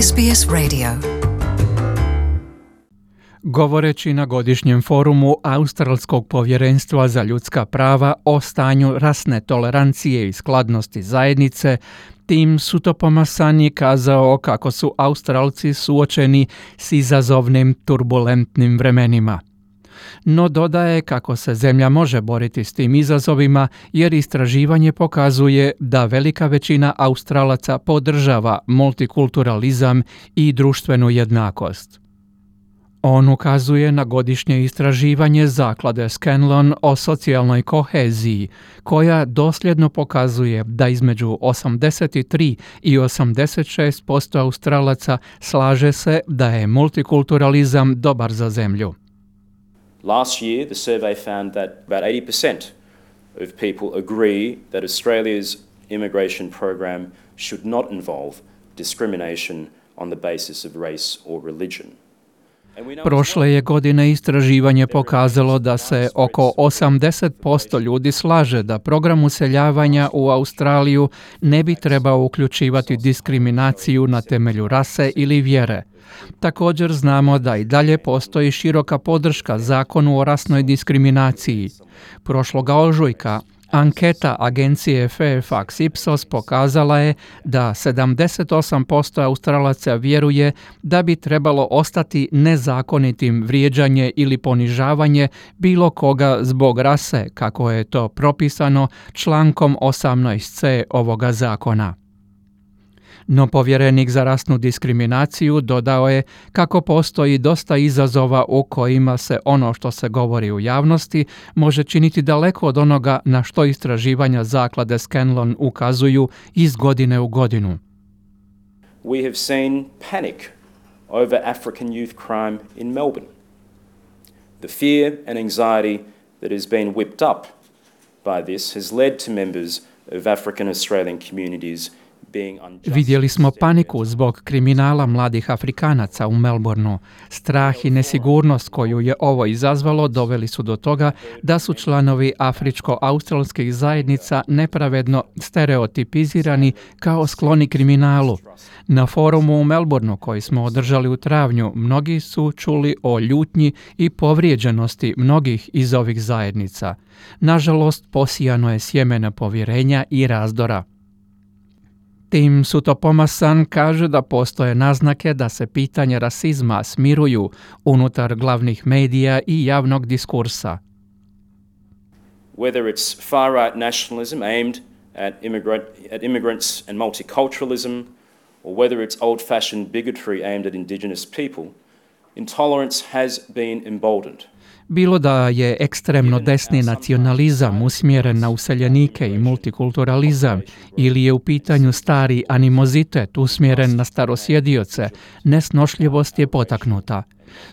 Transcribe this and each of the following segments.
SBS Radio. Govoreći na godišnjem forumu Australskog povjerenstva za ljudska prava o stanju rasne tolerancije i skladnosti zajednice, Tim Soutphommasane je kazao kako su Australci suočeni s izazovnim turbulentnim vremenima. No dodaje kako se zemlja može boriti s tim izazovima jer istraživanje pokazuje da velika većina Australaca podržava multikulturalizam i društvenu jednakost. On ukazuje na godišnje istraživanje zaklade Scanlon o socijalnoj koheziji, koja dosljedno pokazuje da između 83 i 86% Australaca slaže se da je multikulturalizam dobar za zemlju. Last year, the survey found that about 80% of people agree that Australia's immigration program should not involve discrimination on the basis of race or religion. Prošle je godine istraživanje pokazalo da se oko 80% ljudi slaže da program useljavanja u Australiju ne bi trebao uključivati diskriminaciju na temelju rase ili vjere. Također znamo da i dalje postoji široka podrška zakonu o rasnoj diskriminaciji. Prošloga ožujka anketa agencije Fairfax Ipsos pokazala je da 78% Australaca vjeruje da bi trebalo ostati nezakonitim vrijeđanje ili ponižavanje bilo koga zbog rase, kako je to propisano člankom 18c ovoga zakona. No povjerenik za rasnu diskriminaciju dodao je kako postoji dosta izazova u kojima se ono što se govori u javnosti može činiti daleko od onoga na što istraživanja zaklade Scanlon ukazuju iz godine u godinu. We have seen panic over African youth crime in Melbourne. The fear and anxiety that has been whipped up by this has led to members of African Australian communities. Vidjeli smo paniku zbog kriminala mladih Afrikanaca u Melbourneu. Strah i nesigurnost koju je ovo izazvalo doveli su do toga da su članovi afričko-australskih zajednica nepravedno stereotipizirani kao skloni kriminalu. Na forumu u Melbourneu koji smo održali u travnju, mnogi su čuli o ljutnji i povrijeđenosti mnogih iz ovih zajednica. Nažalost, posijano je sjeme nepovjerenja i razdora. Tim Soutphommasane kaže da postoje naznake da se pitanje rasizma smiruju unutar glavnih medija i javnog diskursa. Whether it's far-right nationalism aimed at immigrants and multiculturalism, or whether it's old-fashioned bigotry aimed at Indigenous people, intolerance has been emboldened. Bilo da je ekstremno desni nacionalizam usmjeren na useljenike i multikulturalizam ili je u pitanju stari animozitet usmjeren na starosjedioce, nesnošljivost je potaknuta.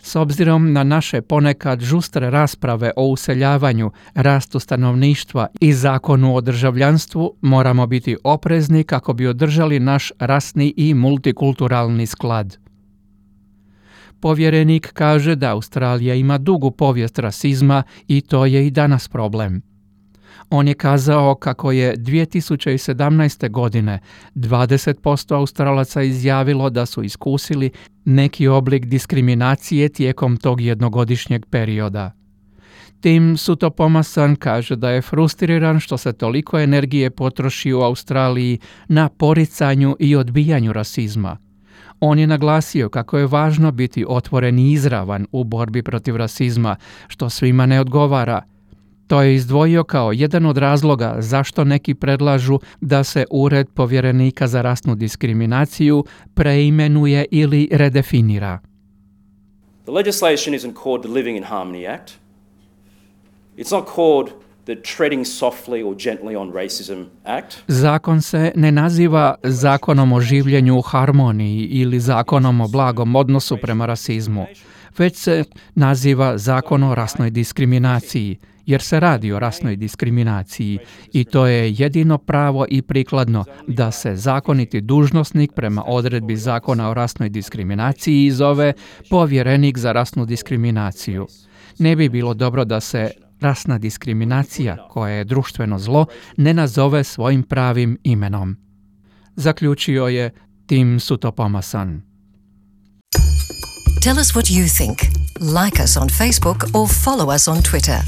S obzirom na naše ponekad žustre rasprave o useljavanju, rastu stanovništva i zakonu o državljanstvu, moramo biti oprezni kako bi održali naš rasni i multikulturalni sklad. Povjerenik kaže da Australija ima dugu povijest rasizma i to je i danas problem. On je kazao kako je 2017. godine 20% Australaca izjavilo da su iskusili neki oblik diskriminacije tijekom tog jednogodišnjeg perioda. Tim Soutphommasane kaže da je frustriran što se toliko energije potroši u Australiji na poricanju i odbijanju rasizma. On je naglasio kako je važno biti otvoren i izravan u borbi protiv rasizma, što svima ne odgovara. To je izdvojio kao jedan od razloga zašto neki predlažu da se Ured povjerenika za rasnu diskriminaciju preimenuje ili redefinira. The legislation isn't called the Living in Harmony Act. It's not called the Treading Softly or Gently on Racism Act. Zakon se ne naziva Zakonom o življenju u harmoniji ili Zakonom o blagom odnosu prema rasizmu, već se naziva Zakon o rasnoj diskriminaciji, jer se radi o rasnoj diskriminaciji i to je jedino pravo i prikladno da se zakoniti dužnosnik prema odredbi Zakona o rasnoj diskriminaciji zove povjerenik za rasnu diskriminaciju. Ne bi bilo dobro da se rasna diskriminacija, koja je društveno zlo, ne nazove svojim pravim imenom. Zaključio je Tim Soutphommasane. Tell us what you think. Like us on Facebook or follow us on Twitter.